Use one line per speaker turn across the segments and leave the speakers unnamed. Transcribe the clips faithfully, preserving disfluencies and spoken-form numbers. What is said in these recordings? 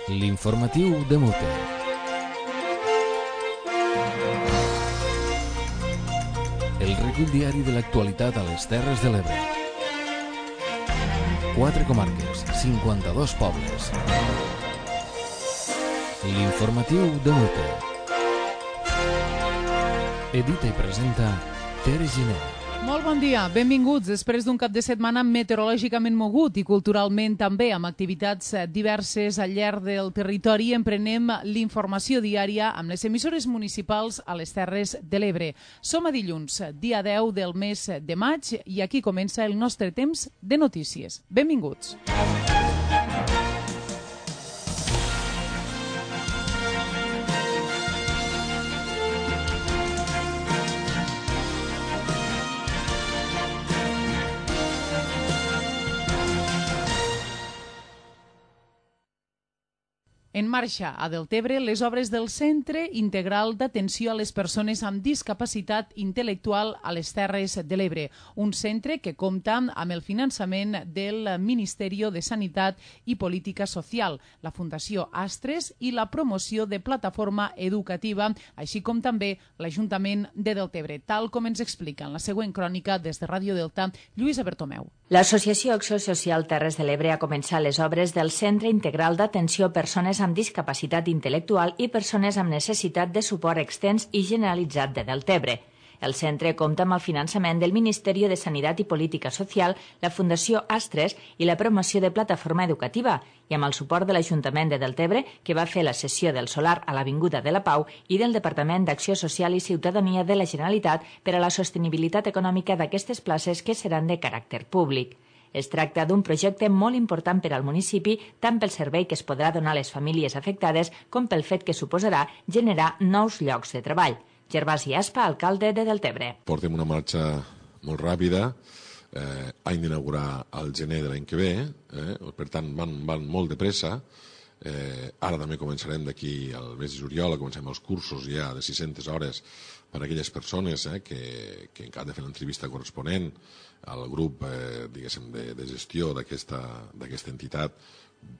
L'informatiu de Mute. El recull diari de l'actualitat a les Terres de l'Ebre. Quatre comarques, cinquanta-dos pobles. L'informatiu de Mute. Edita i presenta Tere Giner.
Molt bon dia, benvinguts després d'un cap de setmana meteorològicament mogut i culturalment també amb activitats diverses al llarg del territori. Emprenem l'informació diària amb les emissores municipals a les Terres de l'Ebre. Som a dilluns, dia deu del mes de maig, i aquí comença el nostre temps de notícies. Benvinguts. En marxa a Deltebre les obres del Centre Integral d'Atenció a les Persones amb Discapacitat Intel·lectual a les Terres de l'Ebre, un centre que compta amb el finançament del Ministeri de Sanitat i Política Social, la Fundació Astres i la promoció de plataforma educativa, així com també l'Ajuntament de Deltebre, tal com ens explica en la següent crònica des de Ràdio Delta, Lluïsa Bertomeu.
L'Associació Acció Social Terres de l'Ebre ha començat les obres del Centre Integral d'Atenció a Persones amb Discapacitat Intel·lectual i persones amb necessitat de suport extens i generalitzat de Deltebre. El centre compta amb el finançament del Ministeri de Sanitat i Política Social, la Fundació Astres i la promoció de plataforma educativa, i amb el suport de l'Ajuntament de Deltebre, que va fer la cessió del solar a l'Avinguda de la Pau, i del Departament d'Acció Social i Ciutadania de la Generalitat per a la sostenibilitat econòmica d'aquestes places que seran de caràcter públic. Es tracta d'un projecte molt important per al municipi, tant pel servei que es podrà donar a les famílies afectades com pel fet que suposarà generar nous llocs de treball. Gervasi Aspa, alcalde de Deltebre.
Portem una marxa molt ràpida, eh, hem d'inaugurar al gener de l'any que ve, eh, per tant van, van molt de pressa. Eh, ara també començarem d'aquí al mes de juliol, comencem els cursos ja de sis-centes hores per a aquelles persones eh, que, que encara han de fer l'entrevista corresponent al grup eh, diguéssim de, de gestió d'aquesta entitat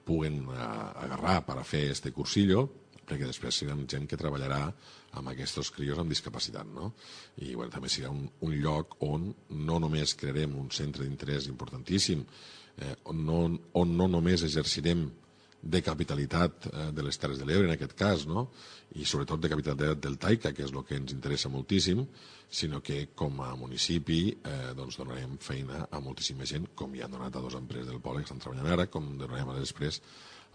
puguen eh, agarrar per a fer este cursillo, perquè després serà gent que treballarà amb aquests crios amb discapacitat, no? I bueno, també serà un, un lloc on no només crearem un centre d'interès importantíssim, eh, on, no, on no només exercirem de capitalitat eh, de les Terres de l'Ebre, en aquest cas, no? I sobretot de capitalitat del Taica, que és el que ens interessa moltíssim, sinó que com a municipi eh, doncs donarem feina a moltíssima gent, com ja han donat a dues empreses del poble que estan treballant ara, com donarem a després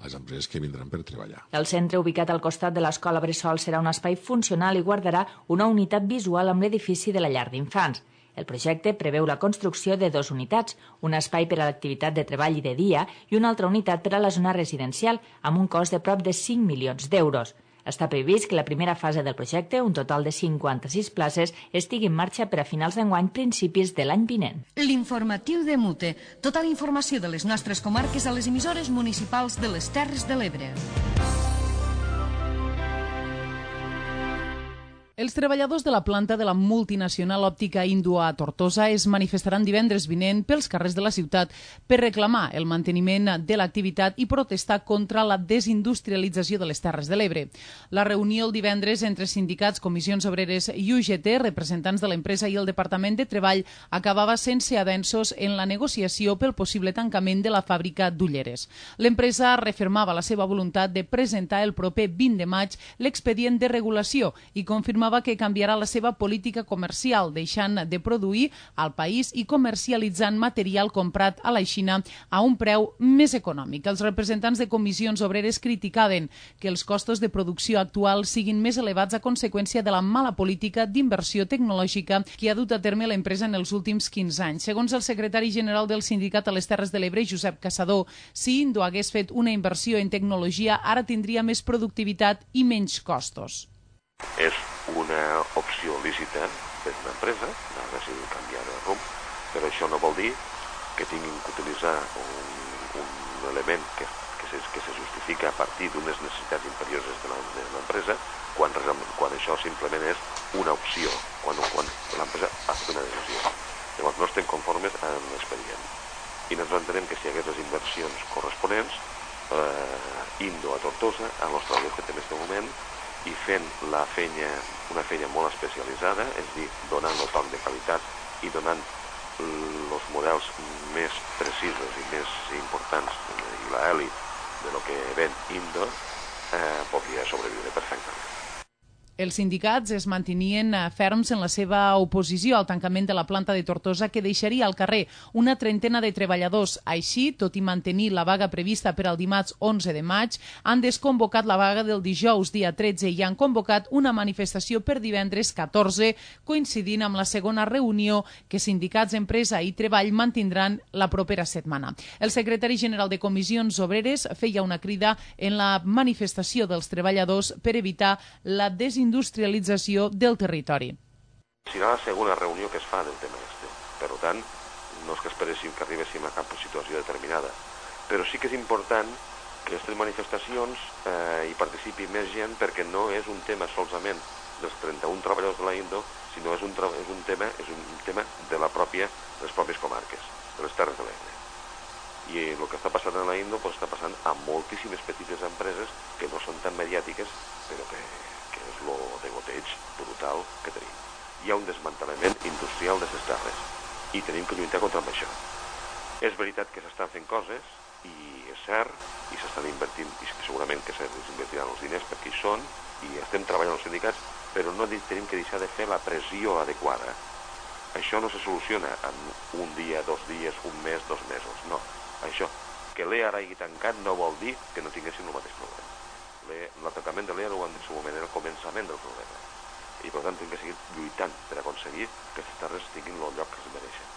a les empreses que vindran per treballar.
El centre, ubicat al costat de l'Escola Bressol, serà un espai funcional i guardarà una unitat visual amb l'edifici de la llar d'infants. El projecte preveu la construcció de dues unitats, un espai per a l'activitat de treball i de dia i una altra unitat per a la zona residencial, amb un cost de prop de cinc milions d'euros. Està previst que la primera fase del projecte, un total de cinquanta-sis places, estigui en marxa per a finals d'enguany, principis de l'any vinent.
L'informatiu de Mute. Tota la informació de les nostres comarques a les emissores municipals de les Terres de l'Ebre.
Els treballadors de la planta de la multinacional òptica Indua a Tortosa es manifestaran divendres vinent pels carrers de la ciutat per reclamar el manteniment de l'activitat i protestar contra la desindustrialització de les Terres de l'Ebre. La reunió el divendres entre sindicats, comissions obreres i U G T, representants de l'empresa i el Departament de Treball, acabava sense avenços en la negociació pel possible tancament de la fàbrica d'Ulleres. L'empresa refermava la seva voluntat de presentar el proper vint de maig l'expedient de regulació i confirmava que canviarà la seva política comercial, deixant de produir al país i comercialitzant material comprat a la Xina a un preu més econòmic. Els representants de comissions obreres criticaven que els costos de producció actual siguin més elevats a conseqüència de la mala política d'inversió tecnològica que ha dut a terme l'empresa en els últims quinze anys. Segons el secretari general del sindicat a les Terres de l'Ebre, Josep Caçador, si Indo hagués fet una inversió en tecnologia, ara tindria més productivitat i menys costos.
És una opció lícita per una empresa, ha decidit canviar de rumb, però això no vol dir que tinguin que utilitzar un, un element que, que, se, que se justifica a partir d'unes necessitats imperioses de l'empresa, quan, quan això simplement és una opció, quan, quan l'empresa ha fet una decisió. Llavors no estem conformes amb l'expedient. I nosaltres entenem que si hi hagués les inversions corresponents, eh, Indo a Tortosa, als els treballadors que té en aquest moment, i fent la feina, una feina molt especialitzada, és a dir, donant el toc de qualitat i donant els models més precisos i més importants i l'elit de lo que ven Indo, eh, podria sobreviure perfectament.
Els sindicats es mantenien ferms en la seva oposició al tancament de la planta de Tortosa, que deixaria al carrer una trentena de treballadors. Així, tot i mantenir la vaga prevista per al dimarts onze de maig, han desconvocat la vaga del dijous dia tretze i han convocat una manifestació per divendres catorze, coincidint amb la segona reunió que sindicats, empresa i treball mantindran la propera setmana. El secretari general de Comissions Obreres feia una crida en la manifestació dels treballadors per evitar la desindustrialització industrialització del territori.
Serà la segona reunió que es fa del tema este. Per tant, no és que esperéssim que arribéssim a cap situació determinada. Però sí que és important que aquestes manifestacions eh, hi participi més gent, perquè no és un tema solament dels trenta-un treballadors de la Indo, sinó és un, és un tema és un tema de la pròpia, de les pròpies comarques, de les Terres de l'Ebre. I el que està passant a la Indo pues, està passant a moltíssimes petites empreses que no són tan mediàtiques, però que que és lo de goteig brutal que tenim. Hi ha un desmantellament industrial de les terres i tenim que lluitar contra això. És veritat que s'estan fent coses i és cert, i s'estan invertint, i segurament que s'invertiran els diners perquè hi són, i estem treballant els sindicats, però no tenim que deixar de fer la pressió adequada. Això no se soluciona en un dia, dos dies, un mes, dos mesos, no. Això, que l'E A hagi tancat no vol dir que no tinguessin el mateix problema. L'atacament de l'E A ho han dit en el moment, era el començament del problema. I per tant hem de seguir lluitant per aconseguir que aquestes terres tinguin el lloc que es mereixen.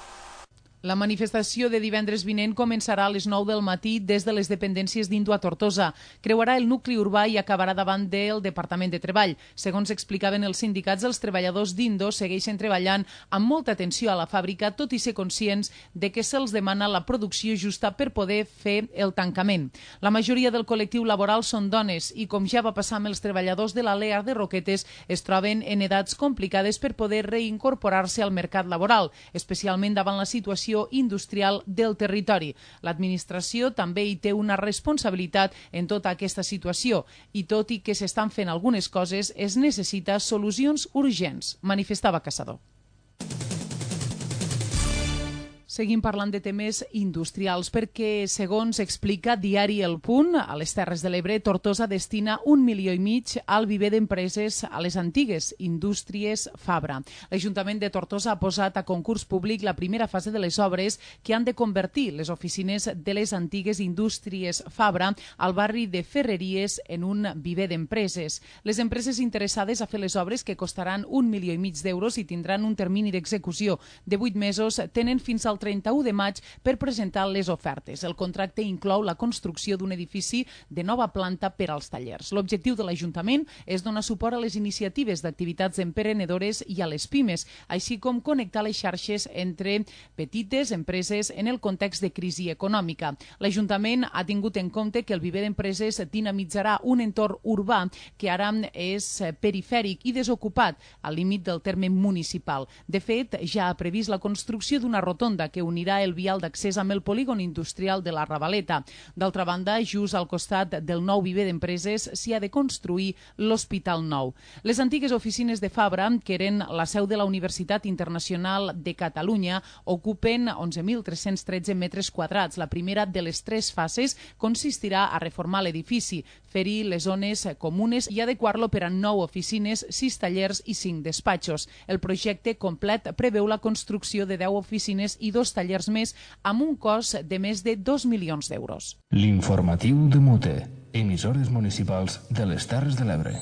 La manifestació de divendres vinent començarà a les nou del matí des de les dependències d'Indo a Tortosa. Creuarà el nucli urbà i acabarà davant del Departament de Treball. Segons explicaven els sindicats, els treballadors d'Indo segueixen treballant amb molta atenció a la fàbrica, tot i ser conscients de que se'ls demana la producció justa per poder fer el tancament. La majoria del col·lectiu laboral són dones i, com ja va passar amb els treballadors de la L E A de Roquetes, es troben en edats complicades per poder reincorporar-se al mercat laboral, especialment davant la situació industrial del territori. L'administració també hi té una responsabilitat en tota aquesta situació i tot i que s'estan fent algunes coses, es necessita solucions urgents, manifestava Caçador. Seguim parlant de temes industrials perquè, segons explica Diari El Punt, a les Terres de l'Ebre, Tortosa destina un milió i mig al viver d'empreses a les antigues indústries Fabra. L'Ajuntament de Tortosa ha posat a concurs públic la primera fase de les obres que han de convertir les oficines de les antigues indústries Fabra al barri de Ferreries en un viver d'empreses. Les empreses interessades a fer les obres, que costaran un milió i mig d'euros i tindran un termini d'execució de vuit mesos, tenen fins al trenta-u de maig per presentar les ofertes. El contracte inclou la construcció d'un edifici de nova planta per als tallers. L'objectiu de l'Ajuntament és donar suport a les iniciatives d'activitats emprenedores i a les pimes, així com connectar les xarxes entre petites empreses en el context de crisi econòmica. L'Ajuntament ha tingut en compte que el viver d'empreses dinamitzarà un entorn urbà que ara és perifèric i desocupat al límit del terme municipal. De fet, ja ha previst la construcció d'una rotonda que unirà el vial d'accés amb el polígon industrial de la Ravaleta. D'altra banda, just al costat del nou viver d'empreses s'hi ha de construir l'Hospital Nou. Les antigues oficines de Fabra, que eren la seu de la Universitat Internacional de Catalunya, ocupen onze mil tres-cents tretze metres quadrats. La primera de les tres fases consistirà a reformar l'edifici, fer-hi les zones comunes i adequar-lo per a nou oficines, sis tallers i cinc despatxos. El projecte complet preveu la construcció de deu oficines i dos tallers més amb un cost de més de dos milions d'euros.
L'informatiu de Mute, emissores municipals de les Terres de l'Ebre.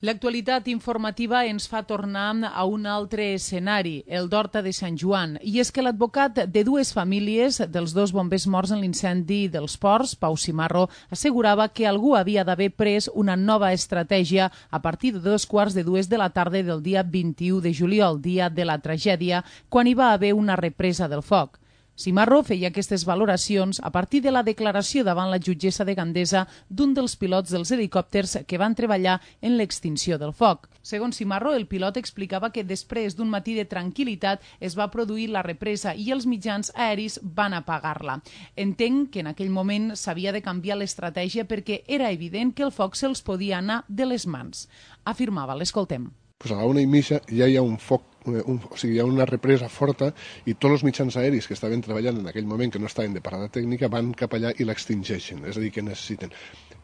L'actualitat informativa ens fa tornar a un altre escenari, el d'Horta de Sant Joan. I és que l'advocat de dues famílies dels dos bombers morts en l'incendi dels ports, Pau Cimarro, assegurava que algú havia d'haver pres una nova estratègia a partir de dos quarts de dues de la tarda del dia vint-i-u de juliol, dia de la tragèdia, quan hi va haver una represa del foc. Cimarro feia aquestes valoracions a partir de la declaració davant la jutgessa de Gandesa d'un dels pilots dels helicòpters que van treballar en l'extinció del foc. Segons Cimarro, el pilot explicava que després d'un matí de tranquil·litat es va produir la represa i els mitjans aeris van apagar-la. Entenc que en aquell moment s'havia de canviar l'estratègia perquè era evident que el foc se'ls podia anar de les mans. Afirmava, l'escoltem.
Pues a la una i mitja ja hi ha un foc, un, o sigui, hi ha una represa forta i tots els mitjans aeris que estaven treballant en aquell moment, que no estaven de parada tècnica, van cap allà i l'extingeixen, és a dir, que necessiten.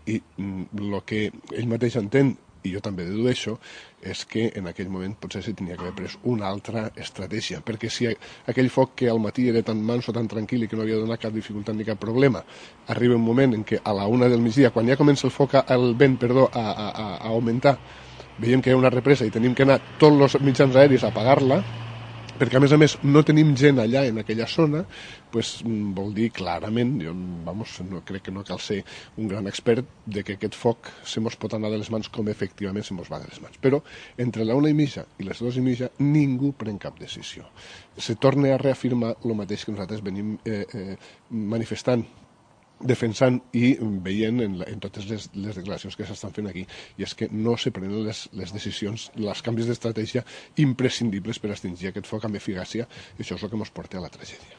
I el que ell mateix entén, i jo també dedueixo, és que en aquell moment potser se tenia que haver pres una altra estratègia, perquè si aquell foc que al matí era tan manso, tan tranquil i que no havia donat cap dificultat ni cap problema, arriba un moment en què a la una del migdia, quan ja comença el foc, el vent, perdó, a, a, a augmentar, veiem que hi ha una represa i tenim que anar tots els mitjans aeris a apagar-la, perquè a més a més no tenim gent allà en aquella zona, pues, vol dir clarament, jo vamos, no, crec que no cal ser un gran expert de que aquest foc se mos pot anar de les mans com efectivament se mos va de les mans. Però entre la una i mitja i les dues i mitja ningú pren cap decisió. Se torna a reafirmar el mateix que nosaltres venim eh, eh, manifestant, defensant i veient en, la, en totes les, les declaracions que s'estan fent aquí, i és que no se prenen les, les decisions, els canvis d'estratègia imprescindibles per extingir aquest foc amb eficàcia, i això és el que ens porta a la tragèdia.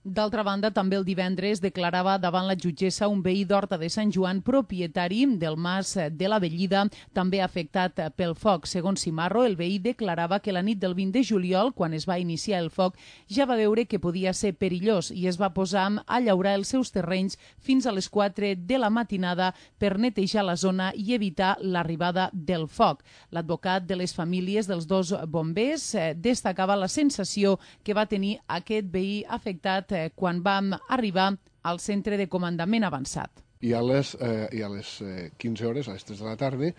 D'altra banda, també el divendres declarava davant la jutgessa un veí d'Horta de Sant Joan, propietari del mas de la Bellida, també afectat pel foc. Segons Cimarro, el veí declarava que la nit del vint de juliol, quan es va iniciar el foc, ja va veure que podia ser perillós i es va posar a llaurar els seus terrenys fins a les quatre de la matinada per netejar la zona i evitar l'arribada del foc. L'advocat de les famílies dels dos bombers destacava la sensació que va tenir aquest veí afectat quan vam arribar al centre de comandament avançat.
I a les, eh, i a les eh, quinze hores, a les tres de la tarda,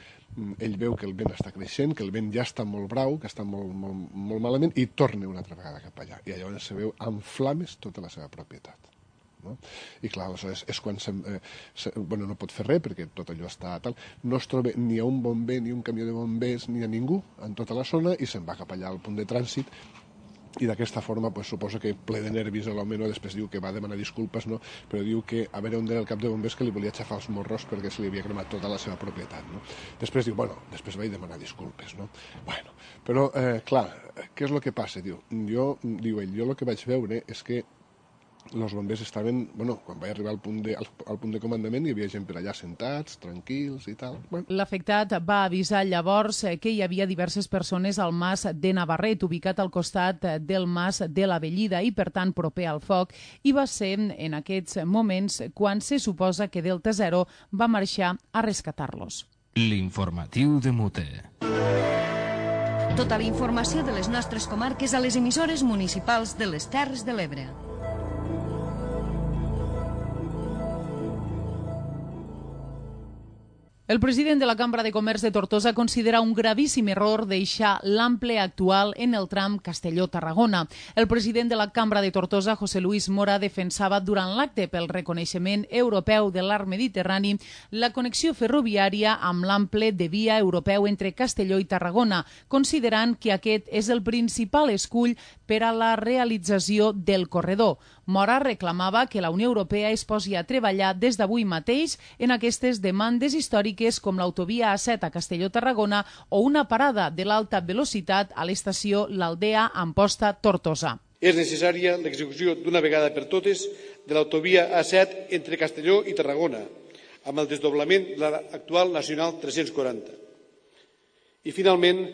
ell veu que el vent està creixent, que el vent ja està molt brau, que està molt, molt, molt malament, i torna una altra vegada cap allà. I llavors se veu en flames tota la seva propietat. No? I clar, aleshores és quan se, eh, se, bueno, no pot fer res perquè tot allò està tal, no es troba ni a un bomber ni un camió de bombers ni a ningú en tota la zona i se'n va cap allà al punt de trànsit. I d'aquesta forma pues, suposo que ple de nervis l'home, no? Després diu que va demanar disculpes, no? Però diu que a veure on era el cap de bombers que li volia aixafar els morros perquè se li havia cremat tota la seva propietat. No? Després diu, bueno, després vaig demanar disculpes. No? Bueno, però eh, clar, què és el que passa? Diu, jo, diu ell, jo el que vaig veure és que els bombers estaven, bueno, quan vaig arribar al punt de, al, al punt de comandament hi havia gent per allà sentats, tranquils i tal. Bueno.
L'afectat va avisar llavors que hi havia diverses persones al mas de Navarret, ubicat al costat del mas de la Bellida i, per tant, proper al foc, i va ser en aquests moments quan se suposa que Delta Zero va marxar a rescatar-los.
L'informatiu de Mute.
Tota la informació de les nostres comarques a les emissores municipals de les Terres de l'Ebre.
El president de la Cambra de Comerç de Tortosa considera un gravíssim error deixar l'ample actual en el tram Castelló-Tarragona. El president de la Cambra de Tortosa, José Luis Mora, defensava durant l'acte pel reconeixement europeu de l'arc mediterrani la connexió ferroviària amb l'ample de via europeu entre Castelló i Tarragona, considerant que aquest és el principal escull per a la realització del corredor. Mora reclamava que la Unió Europea es posi a treballar des d'avui mateix en aquestes demandes històriques com l'autovia A set a Castelló-Tarragona o una parada de l'alta velocitat a l'estació L'Aldea Amposta-Tortosa.
És necessària l'execució d'una vegada per totes de l'autovia A set entre Castelló i Tarragona, amb el desdoblament de l'actual Nacional tres-cents quaranta. I, finalment,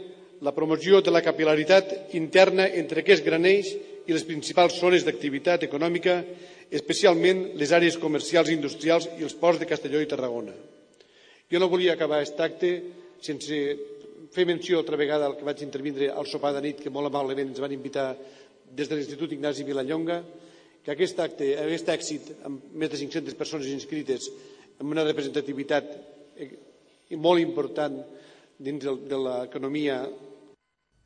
la promoció de la capil·laritat interna entre aquests granells i les principals zones d'activitat econòmica, especialment les àrees comercials i industrials i els ports de Castelló i Tarragona. Jo no volia acabar aquest acte sense fer menció altra vegada al que vaig intervindre al sopar de nit que molt amablement ens van invitar des de l'Institut Ignasi Vilallonga, que aquest acte, aquest èxit amb més de cinc-centes persones inscrites amb una representativitat molt important dins de l'economia.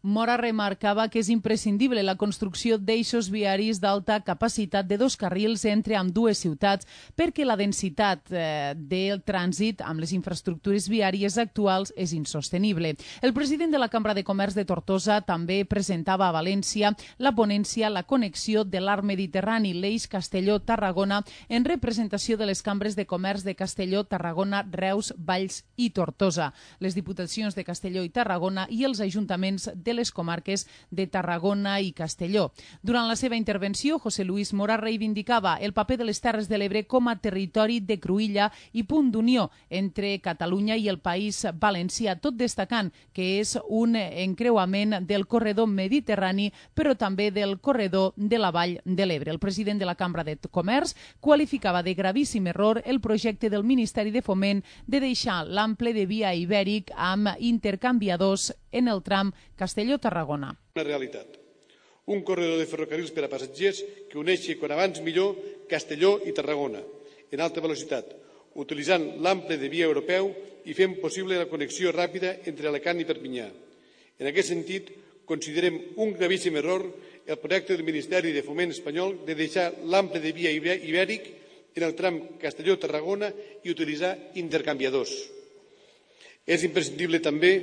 Mora remarcava que és imprescindible la construcció d'eixos viaris d'alta capacitat de dos carrils entre ambdues ciutats perquè la densitat eh, del trànsit amb les infraestructures viàries actuals és insostenible. El president de la Cambra de Comerç de Tortosa també presentava a València la ponència La connexió de l'Arc Mediterrani, l'eix Castelló-Tarragona, en representació de les cambres de comerç de Castelló, Tarragona, Reus, Valls i Tortosa, les diputacions de Castelló i Tarragona i els ajuntaments de les comarques de Tarragona i Castelló. Durant la seva intervenció, José Luis Mora reivindicava el paper de les Terres de l'Ebre com a territori de cruïlla i punt d'unió entre Catalunya i el País Valencià, tot destacant que és un encreuament del corredor mediterrani, però també del corredor de la Vall de l'Ebre. El president de la Cambra de Comerç qualificava de gravíssim error el projecte del Ministeri de Foment de deixar l'ample de via ibèric amb intercanviadors en el tram Castelló-Tarragona.
Una realitat. Un corredor de ferrocarrils per a passatgers que uneixi quan abans millor Castelló i Tarragona en alta velocitat, utilitzant l'ample de via europeu i fent possible la connexió ràpida entre Alacant i Perpinyà. En aquest sentit, considerem un gravíssim error el projecte del Ministeri de Foment espanyol de deixar l'ample de via ibèric en el tram Castelló-Tarragona i utilitzar intercanviadors. És imprescindible també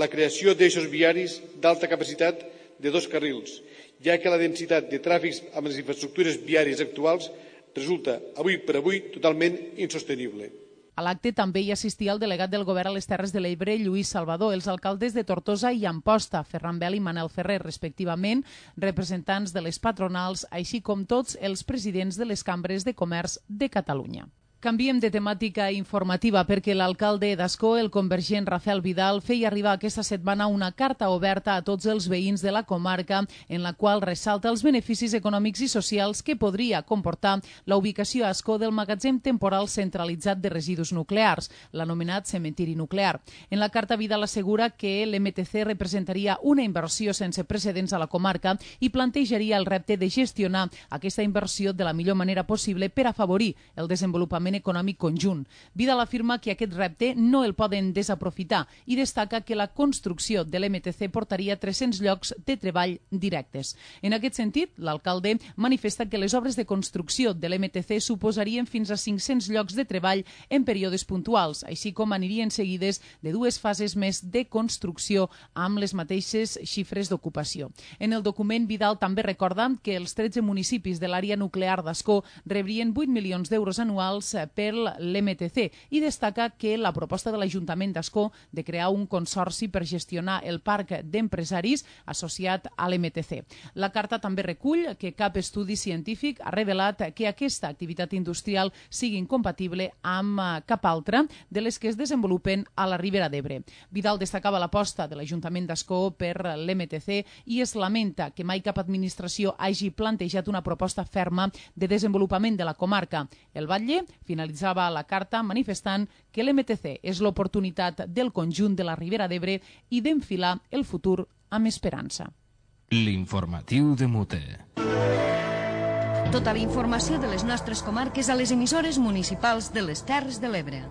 la creació d'eixos viaris d'alta capacitat de dos carrils, ja que la densitat de tràfics amb les infraestructures viàries actuals resulta, avui per avui, totalment insostenible.
A l'acte també hi assistia el delegat del govern a les Terres de l'Ebre, Lluís Salvador, els alcaldes de Tortosa i Amposta, Ferran Bel i Manel Ferrer, respectivament, representants de les patronals, així com tots els presidents de les cambres de comerç de Catalunya. Canviem de temàtica informativa perquè l'alcalde d'Ascó, el convergent Rafael Vidal, feia arribar aquesta setmana una carta oberta a tots els veïns de la comarca en la qual ressalta els beneficis econòmics i socials que podria comportar la ubicació a Ascó del magatzem temporal centralitzat de residus nuclears, l'anomenat cementiri nuclear. En la carta Vidal assegura que l'M T C representaria una inversió sense precedents a la comarca i plantejaria el repte de gestionar aquesta inversió de la millor manera possible per afavorir el desenvolupament econòmic conjunt. Vidal afirma que aquest repte no el poden desaprofitar i destaca que la construcció de l'M T C portaria tres-cents llocs de treball directes. En aquest sentit, l'alcalde manifesta que les obres de construcció de l'M T C suposarien fins a cinc-cents llocs de treball en períodes puntuals, així com anirien seguides de dues fases més de construcció amb les mateixes xifres d'ocupació. En el document, Vidal també recorda que els tretze municipis de l'àrea nuclear d'Ascó rebrien vuit milions d'euros anuals per l'M T C i destaca que la proposta de l'Ajuntament d'Ascó de crear un consorci per gestionar el parc d'empresaris associat a l'M T C. La carta també recull que cap estudi científic ha revelat que aquesta activitat industrial sigui incompatible amb cap altra de les que es desenvolupen a la Ribera d'Ebre. Vidal destacava l'aposta de l'Ajuntament d'Ascó per l'M T C i es lamenta que mai cap administració hagi plantejat una proposta ferma de desenvolupament de la comarca. El Batlle finalitzava la carta manifestant que l'M T C és l'oportunitat del conjunt de la Ribera d'Ebre i d'enfilar el futur amb esperança.
L'informatiu de Mute.
Tota la informació de les nostres comarques a les emissores municipals de les Terres de l'Ebre.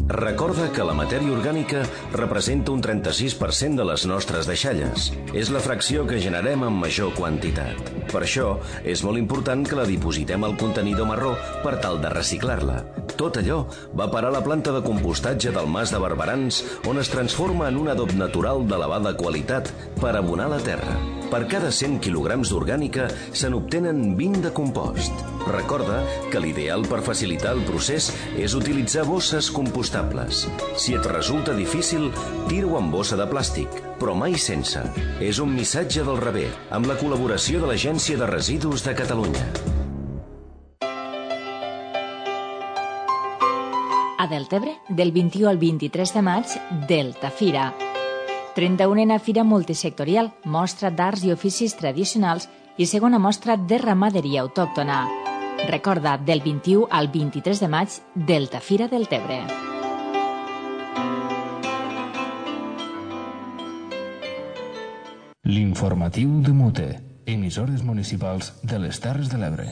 Recorda que la matèria orgànica representa un trenta-sis per cent de les nostres deixalles. És la fracció que generem en major quantitat. Per això, és molt important que la dipositem al contenidor marró per tal de reciclar-la. Tot allò va parar a la planta de compostatge del Mas de Barberans, on es transforma en un adob natural d'elevada qualitat per abonar la terra. Per cada cent quilograms d'orgànica se n'obtenen vint de compost. Recorda que l'ideal per facilitar el procés és utilitzar bosses compostables. Si et resulta difícil, tira-ho en bossa de plàstic, però mai sense. És un missatge del Rebé, amb la col·laboració de l'Agència de Residus de Catalunya.
A Deltebre, del vint-i-u al vint-i-tres de maig, Delta Fira. trenta-unena Fira Multisectorial, mostra d'arts i oficis tradicionals i segona mostra de ramaderia autòctona. Recorda, del vint-i-u al vint-i-tres de maig, Delta Fira Deltebre.
L'informatiu de Mute, emissores municipals de les Terres de l'Ebre.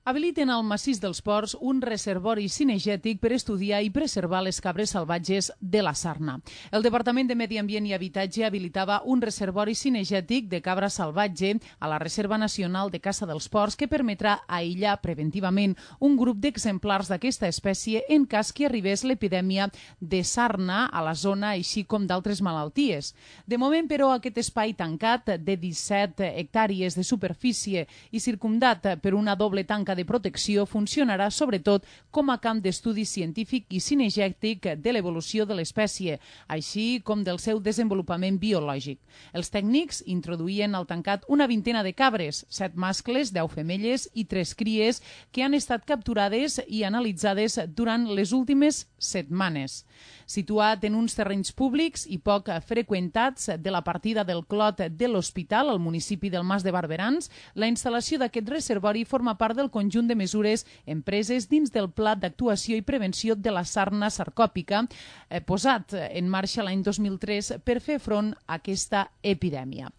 Habiliten al massís dels Ports un reservori cinegètic per estudiar i preservar les cabres salvatges de la Sarna. El Departament de Medi Ambient i Habitatge habilitava un reservori cinegètic de cabra salvatge a la Reserva Nacional de Caça dels Ports que permetrà aïllar preventivament un grup d'exemplars d'aquesta espècie en cas que arribés l'epidèmia de sarna a la zona, així com d'altres malalties. De moment, però, aquest espai tancat de disset hectàrees de superfície i circumdat per una doble tanca de protecció funcionarà sobretot com a camp d'estudi científic i cinegètic de l'evolució de l'espècie, així com del seu desenvolupament biològic. Els tècnics introduïen al tancat una vintena de cabres, set mascles, deu femelles i tres cries que han estat capturades i analitzades durant les últimes setmanes. Situat en uns terrenys públics i poc freqüentats de la partida del Clot de l'Hospital, al municipi del Mas de Barberans, la instal·lació d'aquest reservori forma part del conjunt de mesures empreses dins del Pla d'Actuació i Prevenció de la Sarna Sarcòpica, eh, posat en marxa l'any dos mil tres per fer front a aquesta epidèmia.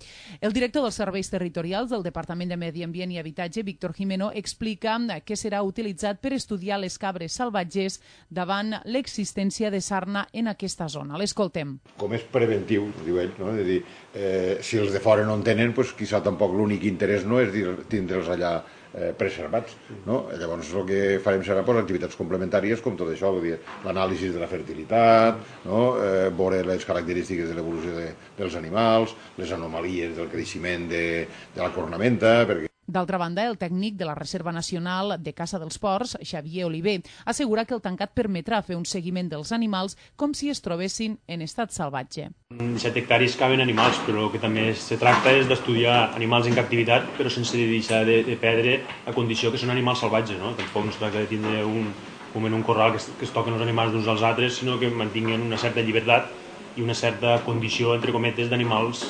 El director dels Serveis Territorials del Departament de Medi Ambient i Habitatge, Víctor Jimeno, explica que serà utilitzat per estudiar les cabres salvatges davant l'existència de sarna en aquesta zona. L'escoltem.
Com és preventiu, diu ell, no? És a dir, eh, si els de fora no en tenen, doncs quizà tampoc l'únic interès no és tindre'ls allà eh, preservats, no? Llavors el que farem serà pues, activitats complementàries com tot això, vull dir, l'anàlisi de la fertilitat, no? eh, veure les característiques de l'evolució de, dels animals, les anomalies del creixement de, de la cornamenta, perquè
D'altra banda, el tècnic de la Reserva Nacional de Caça dels Ports, Xavier Oliver, assegura que el tancat permetrà fer un seguiment dels animals com si es trobessin en estat salvatge.
En set hectàrees caben animals, però el que també se tracta és d'estudiar animals en captivitat, però sense deixar de, de perdre la condició que són animals salvatges, no? Tampoc no es tracta de tindre un, com en un corral que es, que es toquen els animals d'uns als altres, sinó que mantinguen una certa llibertat i una certa condició, entre cometes, d'animals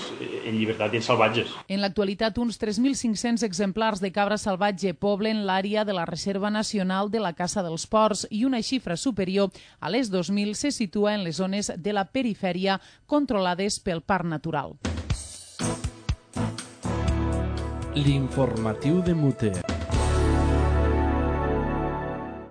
en llibertat i en salvatges.
En l'actualitat, uns tres mil cinc-cents exemplars de cabra salvatge poblen l'àrea de la Reserva Nacional de la Caça dels Ports i una xifra superior a les dos mil se situa en les zones de la perifèria controlades pel Parc Natural.
L'informatiu de Muter.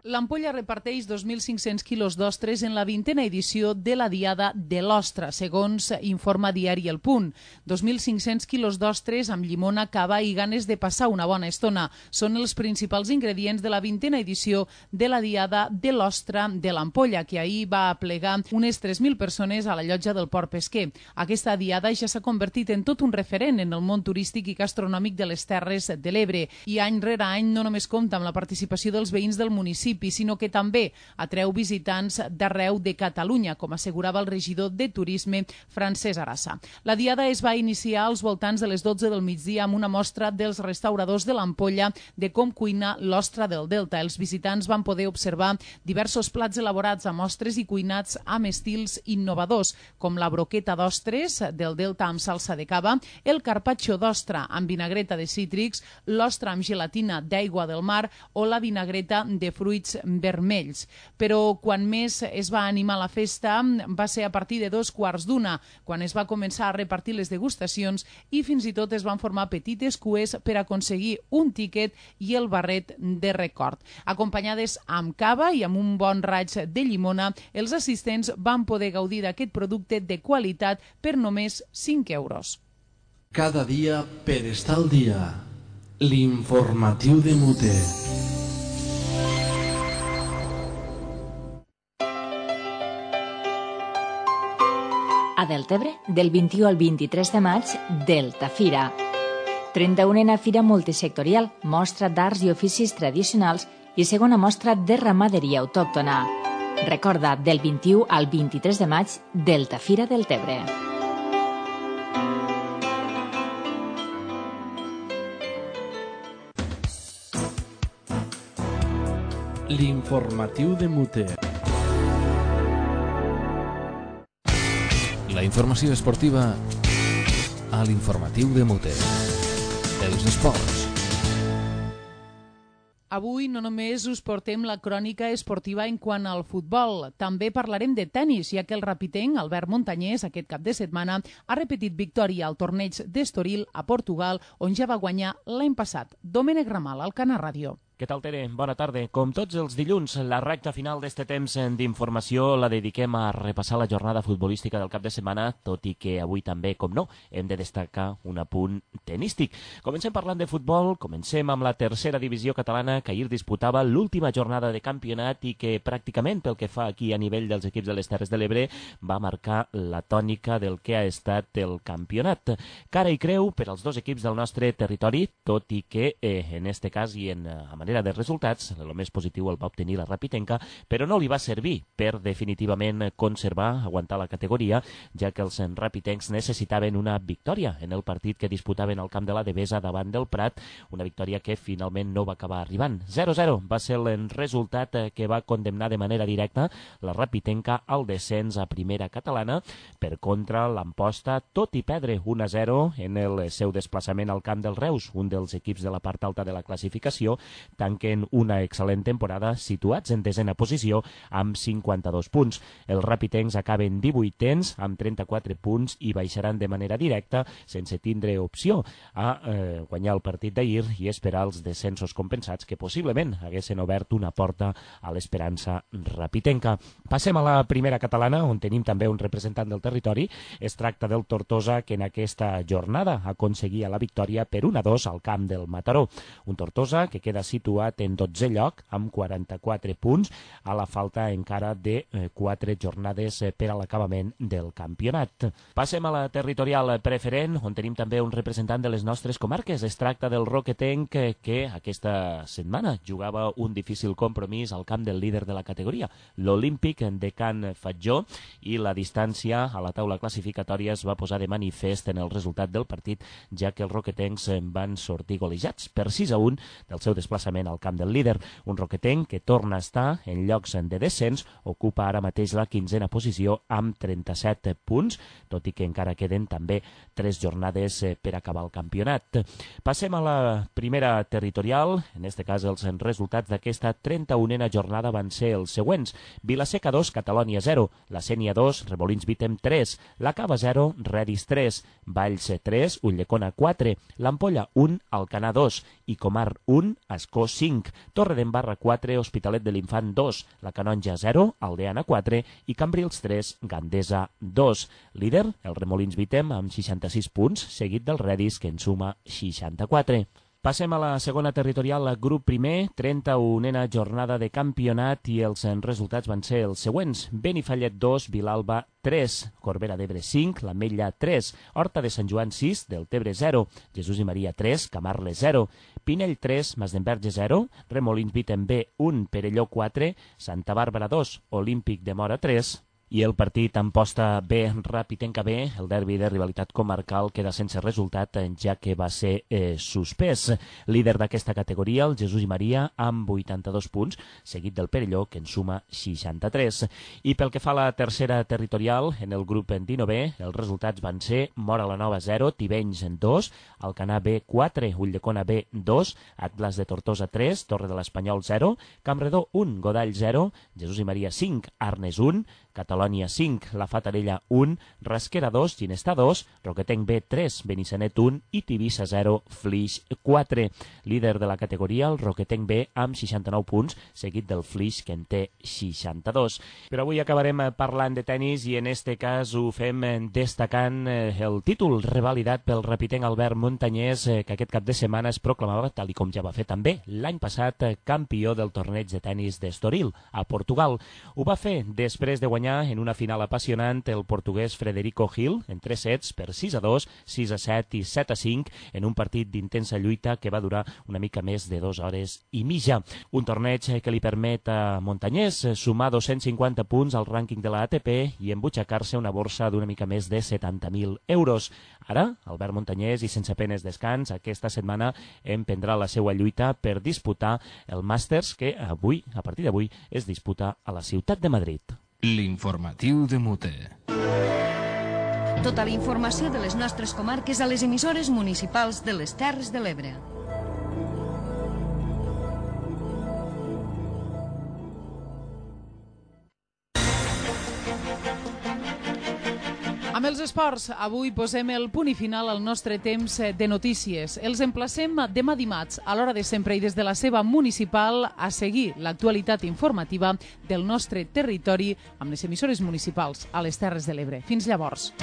L'Ampolla reparteix dos mil cinc-cents quilos d'ostres en la vintena edició de la Diada de l'Ostra, segons informa Diari El Punt. dos mil cinc-cents quilos d'ostres amb llimona, cava i ganes de passar una bona estona. Són els principals ingredients de la vintena edició de la Diada de l'Ostra de l'Ampolla, que ahir va aplegar unes tres mil persones a la llotja del Port Pesquer. Aquesta Diada ja s'ha convertit en tot un referent en el món turístic i gastronòmic de les Terres de l'Ebre i any rere any no només compta amb la participació dels veïns del municipi, sinó que també atreu visitants d'arreu de Catalunya, com assegurava el regidor de Turisme, Francesc Arassa. La Diada es va iniciar als voltants de les dotze del migdia amb una mostra dels restauradors de l'Ampolla de com cuina l'ostra del Delta. Els visitants van poder observar diversos plats elaborats amb ostres i cuinats amb estils innovadors, com la broqueta d'ostres del Delta amb salsa de cava, el carpaccio d'ostra amb vinagreta de cítrics, l'ostra amb gelatina d'aigua del mar o la vinagreta de fruits vermells. Però quan més es va animar la festa va ser a partir de dos quarts d'una, quan es va començar a repartir les degustacions i fins i tot es van formar petites cues per aconseguir un tíquet i el barret de record. Acompanyades amb cava i amb un bon raig de llimona, els assistents van poder gaudir d'aquest producte de qualitat per només cinc euros.
Cada dia per estar al dia. L'informatiu de Muter.
A Deltebre, del vint-i-u al vint-i-tres de maig, Delta Fira. trenta-unena Fira Multisectorial, mostra d'arts i oficis tradicionals i segona mostra de ramaderia autòctona. Recorda, del vint-i-u al vint-i-tres de maig, Delta Fira Deltebre.
L'informatiu de Muter.
La informació esportiva a l'informatiu de Muter. Els esports.
Avui no només us portem la crònica esportiva en quant al futbol, també parlarem de tennis, ja que el rapitenc Albert Montanyès aquest cap de setmana ha repetit victòria al torneig d'Estoril a Portugal, on ja va guanyar l'any passat. Domènec Ramal, al Canal Ràdio.
Què tal, Tere? Bona tarda. Com tots els dilluns, la recta final d'este temps d'informació la dediquem a repassar la jornada futbolística del cap de setmana, tot i que avui també, com no, hem de destacar un apunt tenístic. Comencem parlant de futbol, comencem amb la tercera divisió catalana, que ahir disputava l'última jornada de campionat i que pràcticament, pel que fa aquí a nivell dels equips de les Terres de l'Ebre, va marcar la tònica del que ha estat el campionat. Cara i creu per als dos equips del nostre territori, tot i que eh, en este cas i en a manera de resultats, el més positiu el va obtenir la Rapitenca, però no li va servir per definitivament conservar, aguantar la categoria, ja que els rapitencs necessitaven una victòria en el partit que disputaven al camp de la Devesa davant del Prat, una victòria que finalment no va acabar arribant. zero a zero va ser el resultat que va condemnar de manera directa la Rapitenca al descens a primera catalana. Per contra, l'Amposta, tot i perdre un a zero en el seu desplaçament al camp del Reus, un dels equips de la part alta de la classificació, tanquen una excel·lent temporada situats en desena posició amb cinquanta-dos punts. Els rapitencs acaben divuitens amb trenta-quatre punts i baixaran de manera directa sense tindre opció a eh, guanyar el partit d'ahir i esperar els descensos compensats que possiblement haguessin obert una porta a l'esperança rapitenca. Passem a la primera catalana, on tenim també un representant del territori. Es tracta del Tortosa, que en aquesta jornada aconseguia la victòria per un a dos al camp del Mataró. Un Tortosa que queda situat en dotzè lloc amb quaranta-quatre punts a la falta encara de quatre jornades per a l'acabament del campionat. Passem a la territorial preferent, on tenim també un representant de les nostres comarques. Es tracta del Roquetenc, que aquesta setmana jugava un difícil compromís al camp del líder de la categoria, l'Olímpic de Can Fatjó, i la distància a la taula classificatòria es va posar de manifest en el resultat del partit, ja que els roquetencs van sortir golejats per sis a un del seu desplaçament al camp del líder. Un roquetenc que torna a estar en llocs de descens, ocupa ara mateix la quinzena posició amb trenta-set punts, tot i que encara queden també tres jornades per acabar el campionat. Passem a la primera territorial. En este cas els resultats d'aquesta trenta-unena jornada van ser els següents: Vilaseca dos, Catalònia zero, la Sénia dos, Remolins Vítem tres, la Cava zero, Redis tres, Valls tres, Ulldecona quatre, l'Ampolla un, Alcanar dos i Comar un, Ascó cinc, Torredembarra quatre, Hospitalet de l'Infant dos, la Canonja zero, Aldeana quatre i Cambrils tres, Gandesa dos. Líder, el Remolins Vítem amb seixanta-sis punts, seguit del Redis, que en suma seixanta-quatre. Passem a la segona territorial, grup primer, trenta-unena jornada de campionat, i els resultats van ser els següents: Benifallet dos, Vilalba tres, Corbera d'Ebre cinc, l'Ametlla tres, Horta de Sant Joan sis, Deltebre zero, Jesús i Maria tres, Camarles zero, Pinell tres, Masdenverge zero, Remolins Vítem B un, Perelló quatre, Santa Bàrbara dos, Olímpic de Mora tres. I el partit Amposta B, Rapitenca B, el derbi de rivalitat comarcal, queda sense resultat, ja que va ser eh, suspès. Líder d'aquesta categoria, el Jesús i Maria, amb vuitanta-dos punts, seguit del Perelló, que en suma seixanta-tres. I pel que fa a la tercera territorial, en el grup dinovè, els resultats van ser Mora la Nova zero, Tivenys dos, Alcanar B quatre, Ulldecona B dos, Atlas de Tortosa tres, Torre de l'Espanyol zero, Campredó un, Godall zero, Jesús i Maria cinc, Arnes un, Catalònia cinc, La Fatarella un, Rasquera dos, Ginestà dos, Roquetenc B tres, Benissanet un i Tivissa zero, Flix quatre. Líder de la categoria, el Roquetenc B amb seixanta-nou punts, seguit del Flix, que en té seixanta-dos. Però avui acabarem parlant de tenis i en este cas ho fem destacant el títol revalidat pel rapitenc Albert Montanyès, que aquest cap de setmana es proclamava, tal i com ja va fer també l'any passat, campió del torneig de tenis d'Estoril, a Portugal. Ho va fer després de guanyar en una final apassionant el portuguès Frederico Gil en tres sets per sis a dos, sis a set i set a cinc en un partit d'intensa lluita que va durar una mica més de dues hores i mitja. Un torneig que li permet a Montanyès sumar dos-cents cinquanta punts al rànquing de la A T P i embutxacar-se una borsa d'una mica més de setanta mil euros. Ara, Albert Montanyès, i sense penes descans, aquesta setmana emprendrà la seva lluita per disputar el Màsters, que avui, a partir d'avui, es disputa a la ciutat de Madrid.
L'informatiu de Mute.
Tota la informació de les nostres comarques a les emissores municipals de les Terres de l'Ebre.
Amb els esports, avui posem el punt i final al nostre temps de notícies. Els emplacem demà dimarts, a l'hora de sempre i des de la seva municipal, a seguir l'actualitat informativa del nostre territori amb les emissores municipals a les Terres de l'Ebre. Fins llavors.